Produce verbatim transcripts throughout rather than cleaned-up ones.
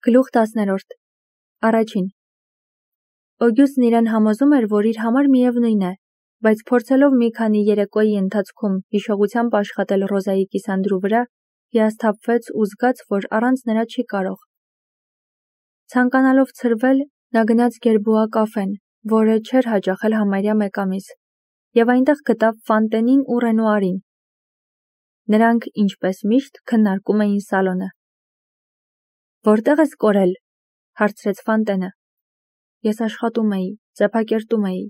Գլուխ տասներորդ Առաջին Օգյուստն իրեն համոզում էր, որ իր համար միևնույն է, բայց փորձելով մի քանի երեկոյի ընթացքում հիշողությամբ աշխատել Ռոզայի կիսանդրու վրա, հիասթափվեց ու զգաց, որ առանց նրա չի կարող։ Ցանկանալով ցրվել, նա գնաց Գերբուա կաֆեն, որը չէր հաճախել համարյա մեկ ամիս, եւ այնտեղ գտավ Ֆանտենին ու Ռենուարին։ Նրանք, ինչպես միշտ, քննարկում էին սալոնը։ Որտեղ ես կորել, հարցրեց Ֆանտենը։ Ես աշխատում էի, ծեփակերտում էի։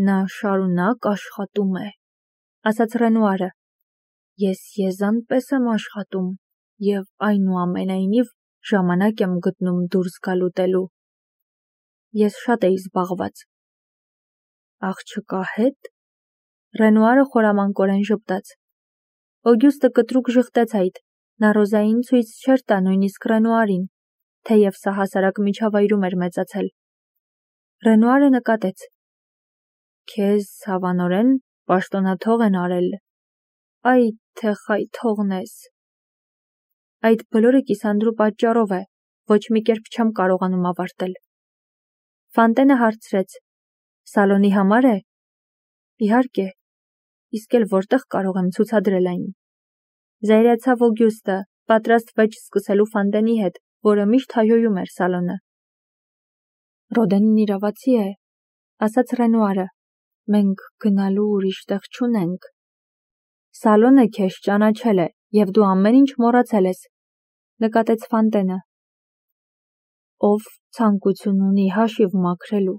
Նա շարունակ աշխատում է, ասաց Ռենուարը։ Ես եզան պես եմ աշխատում եւ այնուամենայնիվ ժամանակ եմ գտնում դուրս գալ ուտելու։ Ես շատ էի զբաղված։ Աղջկա հետ։ Ռենուարը խորամանկորեն ժպտաց։ Օգյուստը կտրուկ ժխտեց այդ, նա Ռոզային ցույց չէր տա նույնիսկ Ռենուարին, թեև սա հասարակ միջավայրում էր մեծացել։ Ռենուարը նկատեց. Քեզ հավանորեն պաշտոնաթող են արել։ Այ թե խայթողն ես։ Այդ բոլորը կիսանդրու պատճառով է, ոչ մի կերպ չեմ կարողանում ավարտել։ Ֆանտենը հարցրեց. Սալոնի համար է։ Իհարկե, իսկ էլ որտեղ կարող եմ ցուցադրել այն։ Զայրացավ Օգյուստը, պատրաստ վեճ սկսելու Ֆանտենի հետ, որը միշտ հայհոյում էր սալոնը։ Ռոդենն իրավացի է, ասաց Ռենուարը։ Մենք գնալու ուրիշ տեղ չունենք։ Սալոնը քեզ ճանաչել է, եւ դու ամեն ինչ մոռացել ես, նկատեց Ֆանտենը։ Ով ցանկություն ունի հաշիվ մաքրելու։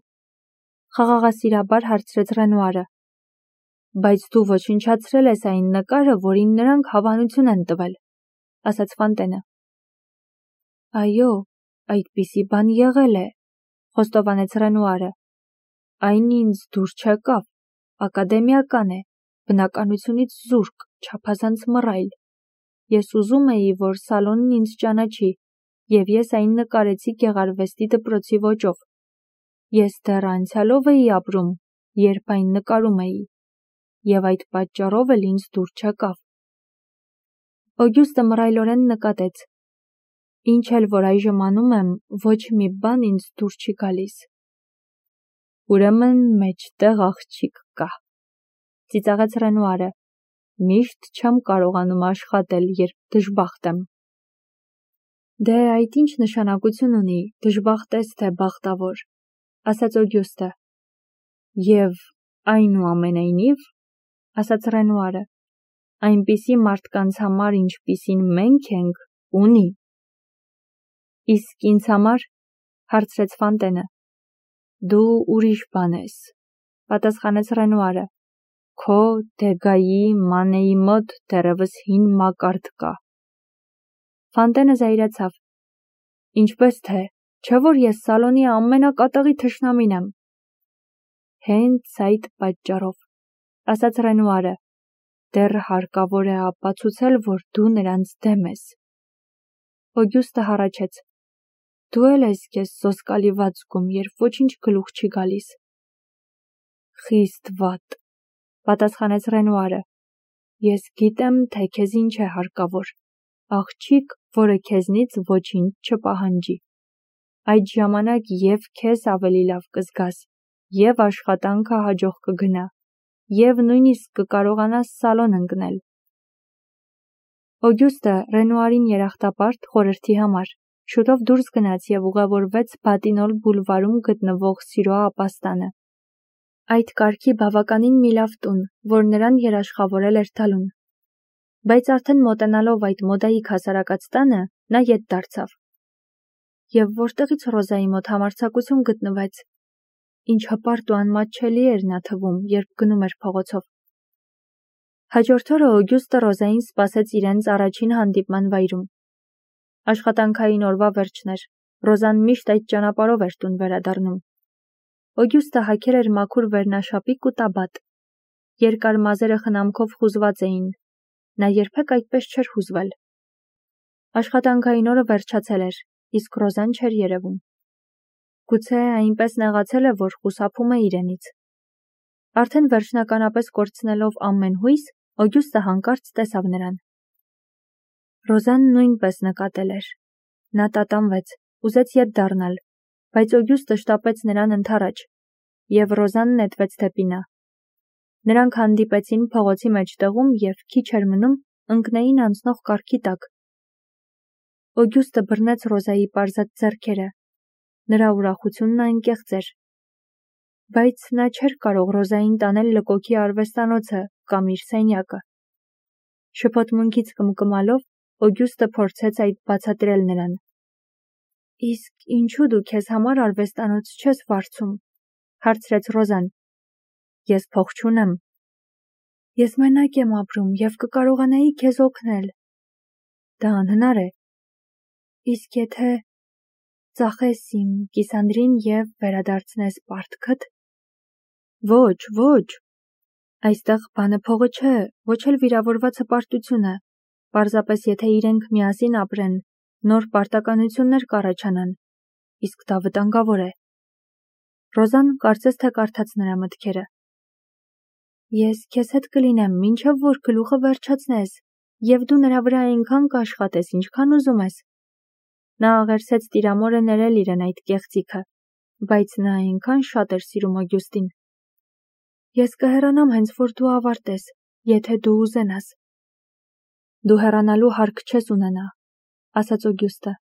Խաղաղասիրաբար հարցրեց Ռենուարը։ Բայց դու ոչնչացրել ես այն նկարը, որին նրանք հավանություն են տվել, ասաց Ֆանտենը։ Այո, այդպիսի բան եղել է, խոստովանեց Ռենուարը։ Այն ինձ դուր չեկավ, ակադեմիական է, բնականությունից զուրկ, չափազանց մռայլ։ Ես ուզում էի, որ սալոնն ինձ ճանաչի, եւ ես այն նկարեցի գեղարվեստի դպրոցի ոճով։ Ես դեռ անցյալով էի ապրում, երբ այն նկարում էի, եւ այդ պատճառով էլ ինձ դուր չեկավ։ Օգյուստը մռայլորեն նկատեց. Ինչ էլ որ այժմ անում եմ, ոչ մի բան ինձ դուր չի գալիս։ Ուրեմն մեջտեղ աղջիկ կա, ծիծաղեց Ռենուարը։ Միշտ չեմ կարողանում աշխատել, երբ դժբախտ եմ։ Դե այդ ինչ նշանակություն ունի, դժբախտ ես թե բախտավոր, ասաց Օգյուստը։ Եվ այնուամենայնիվ, ասաց Ռենուարը, այնպիսի մարդկանց համար, ինչպիսին մենք ենք, ունի։ Իսկ ինձ համար, հարցրեց Ֆանտենը։ Դու ուրիշ բան ես, պատասխանեց Ռենուարը։ Քո Դեգայի Մանեի մոտ դեռևս հին մակարդ կա։ Ֆանտենը զայրացավ։ Ինչպես թե, չէ որ ես սալոնի ամենակատաղի թշնամին եմ։ Հենց այդ պատճառով, ասաց Ռենուարը, դեռ հարկավոր է ապացուցել, որ դու նրանց դեմ ես։ Օգյուստը հառաչեց։ Դու էլ ես քեզ սոսկալի վատ զգում, երբ ոչինչ գլուխ չի գալիս։ Խիստ վատ, պատասխանեց Ռենուարը։ Ես գիտեմ, թե քեզ ինչ է հարկավոր։ Աղջիկ, որը քեզնից ոչինչ չպահանջի։ Այդ ժամանակ եւ քեզ ավելի լավ կզգաս, եւ աշխատանքը հաջող կգնա, եւ նույնիսկ կկարողանաս սալոն ընկնել։ Օգյուստը Ռենուարին երախտապարտ խորհրդի համար շուտով դուրս գնաց եւ ուղևորվեց Բատինոլ բուլվարում գտնվող Սիրո ապաստանը։ Այդ կարգի բավականին մի լավ տուն, որ նրան երաշխավորել էր տալուն։ Բայց արդեն մոտենալով այդ մոդայիկ հասարակած տանը, նա ետ դարձավ։ Եվ որտեղից Ռոզայի մոտ համարձակություն գտնվեց։ Ինչ հպարտ ու անմատչելի էր նա թվում, երբ գնում էր փողոցով։ Հաջորդ օրը Օգյուստը Ռոզային սպասեց իրենց առաջին հանդիպման վայրում։ Աշխատանքային օրվա վերջն էր, Ռոզան միշտ այդ ճանապարհով էր տուն վերադառնում։ Օգյուստը հագել էր մաքուր վերնաշապիկ ու տաբատ։ Երկար մազերը խնամքով խուզված էին։ Նա երբեք այդպես չէր հուզվել։ Աշխատանքային օրը վերջացել էր, իսկ Ռոզան չէր երևում։ Գուցե այնպես նեղացել է, որ խուսափում է իրենից։ Արդեն վերջնականապես կորցնելով ամեն հույս, Օգյուստը հանկարծ տեսավ նրան։ Ռոզան նույնպես նկատել էր։ Նա տատանվեց, ուզեց ետ դառնալ, բայց Օգյուստը շտապեց նրան ընդառաջ, և Ռոզան նետվեց դեպի նա։ Նրանք հանդիպեցին փողոցի մեջտեղում և քիչ էր մնում ընկնեին անցնող կառքի տակ։ Օգյուստը բռնեց Ռոզայի պարզած ձեռքերը, նրա ուրախությունն անկեղծ էր, բայց նա չէր կարող Ռոզային տանել լկոքի արվեստանոցը կամ իր սենյակը։ Շփոթմունքից կմկմալով Օգյուստը փորձեց այդ բացատրել նրան։ Իսկ ինչու դու քեզ համար արվեստանոց չես վարձում, հարցրեց Ռոզան։ Ես փող չունեմ։ Ես մենակ եմ ապրում և կկարողանայի քեզ օգնել։ Դա անհնար է։ Իսկ եթե ծախես իմ կիսանդրին և վերադարձնես պարտքդ։ Ոչ, ոչ։ Այստեղ բանը փողը չէ, ոչ էլ վիրավորված հպարտությունը, պարզապես եթե իրենք միասին ապրեն, նոր պարտականություններ կառաջանան, իսկ դա վտանգավոր է։ Ռոզան կարծես թե կարդաց նրա մտքերը։ Ես քեզ հետ կլինեմ, մինչև որ գլուխը վերջացնես, և դու նրա վրա այնքան կաշխատես, ինչքան ուզում ես։ Նա աղերսեց տիրամորը ներել իրեն այդ կեղծիքը, բայց նա այնքան շատ էր սիրում Օգյուստին։ Ես կհեռանամ հենց որ դու ավարտես, եթե դու ուզենաս։ Դու հեռանալու հարկ չես ունենա, ասաց Օգյուստը։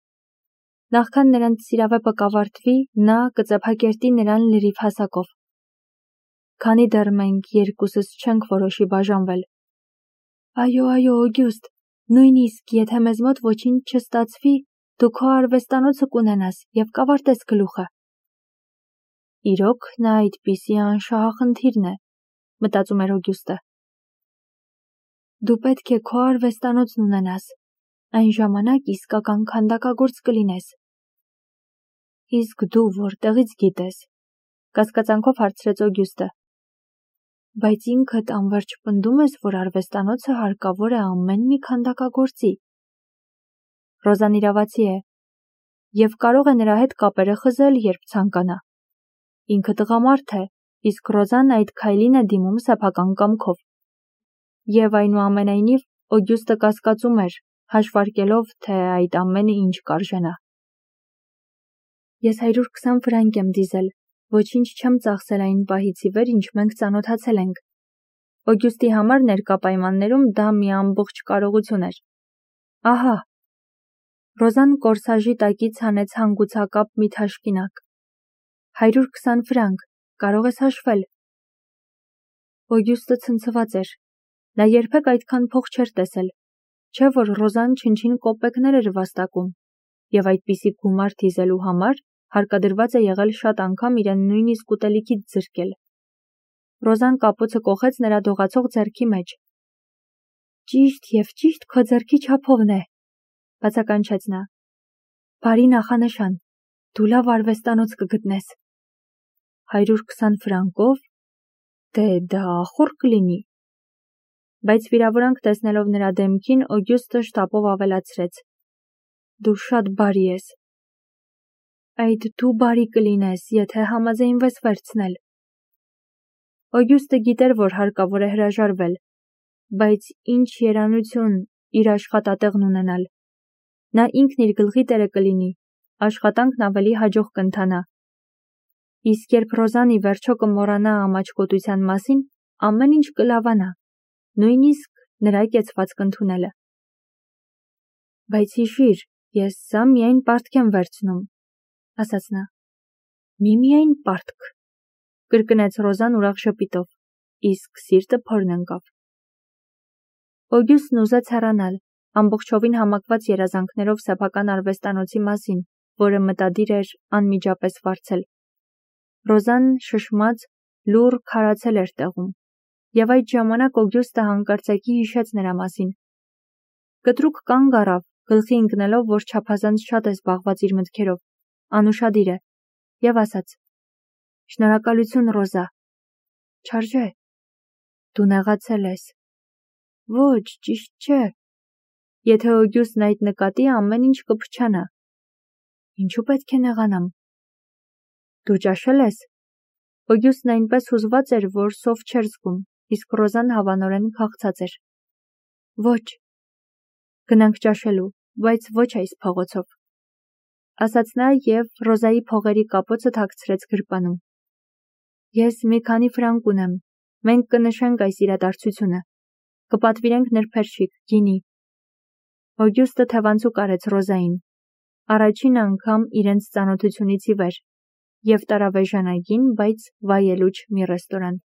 Նախքան նրանց սիրավեպը կավարտվի, նա կծեփակերտի նրան լրիվ հասակով։ Քանի դեռ մենք երկուսս չենք որոշի բաժանվել։ Այո, այո, Օգյուստ, նույնիսկ եթե մեզ մոտ ոչինչ չստացվի, դու քո արվեստանոցը կունենաս և կավարտես գլուխը։ Իրոք նա այդպիսի անշահախնդիրն է, մտածում էր Օգյուստը։ Դու պետք է քո արվեստանոցն ունենաս, այն ժամանակ իսկական քանդակագործ կլինես։ Իսկ դու որտեղից գիտես, կասկածանքով հարցրեց Օգյուստը։ Բայց ինքդ անվերջ պնդում ես, որ արվեստանոցը հարկավոր է ամեն մի քանդակագործի։ Ռոզան իրավացի է, և կարող է նրա հետ կապերը խզել, երբ ցանկանա։ Ինքը տղամարդ է, իսկ Ռոզան այդ քայլին է դիմում սեփական կամքով։ Եվ այնուամենայնիվ Օգյուստը կասկածում էր, հաշվարկելով, թե այդ ամենը ինչ կարժենա։ Ես հարյուր քսան ֆրանկ եմ դիզել, ոչինչ չեմ ծախսել այն պահից ի վեր, ինչ մենք ծանոթացել ենք։ Օգյուստի համար ներկա պայմաններում դա մի ամբողջ կարողություն էր։ Ահա։ Ռոզան կորսաժի տակից հանեց հանգուցակապ մի թաշկինակ։ Հարյուր քսան ֆրանկ, կարող ես հաշվել։ Օգյուստը ցնցված էր։ Նա երբեք այդքան փող չէր տեսել, չէ՞ որ Ռոզան չնչին կոպեկներ էր վաստակում, և այդպիսի գումար դիզելու համար հարկադրված է եղել շատ անգամ իրեն նույնիսկ ուտելիքից զրկել։ Ռոզան կապոցը կոխեց նրա դողացող ձեռքի մեջ։ Ճիշտ և ճիշտ քո ձեռքի չափովն է, բացականչեց նա։ Բարի նախանշան, դու լավ արվեստանոց կգտնես։ Հարյուր քսան ֆրանկով, դե դա ախոր կլինի։ Բայց վիրավորանք տեսնելով նրա դեմքին, Օգյուստը շտապով ավելացրեց. Դու շատ բարի ես։ Այդ դու բարի կլինես, եթե համաձայնվես վերցնել։ Օգյուստը գիտեր, որ հարկավոր է հրաժարվել, բայց ինչ երանություն իր աշխատատեղն ունենալ։ Նա ինքն իր գլխի տերը կլինի, աշխատանքն ավելի հաջող կընթանա։ Իսկ երբ Ռոզան ի վերջո կմոռանա ամաչկոտության մասին, ամեն ինչ կլավանա, նույնիսկ նրա կեցվածք ընդունելը։ Բայց հիշիր, ես սա միայն պարտք եմ վերցնում, ասաց նա։ Միմիայն պարտք, կրկնեց Ռոզան ուրախ ժպիտով, իսկ սիրտը փորն ընկավ։ Օգյուստն ուզեց հեռանալ, ամբողջովին համակված երազանքներով սեփական արվեստանոցի մասին, որը մտադիր էր անմիջապես վարձել։ Ռոզան շշմած, լուռ քարացել էր տեղում, և այդ ժամանակ Օգյուստը հանկարծակի հիշեց նրա մասին։ Կտրուկ կանգ առավ, գլխի ընկնելով, որ չափազանց շատ է զբաղված իր մտքերով, անուշադիր է, և ասաց. Շնորհակալություն, Ռոզա։ Չարժե։ Դու նեղացել ես։ Ոչ, ճիշտ չէ։ Եթե Օգյուստն այդ նկատի, ամեն ինչ կփչանա։ Ինչու պետք է նեղանամ։ Դու ճաշել ես։ Օգյուստն այնպես հուզված էր, որ սով չէր զգում, իսկ Ռոզան հավանորեն քաղցած էր։ Ոչ։ Գնանք ճաշելու, բայց ոչ այս փողոցով։ ասաց նա և Ռոզայի փողերի կապոցը թաքցրեց գրպանում։ Ես մի քանի ֆրանկ ունեմ, մենք կնշենք այս իրադարձությունը, կպատվիրենք նրբերշիկ, գինի։ Օգյուստը թևանցուկ արեց Ռոզային, առաջին անգամ իրենց ծանոթությունից ի վեր, և տարավ էժանագին, բայց վայելուչ մի ռեստորան։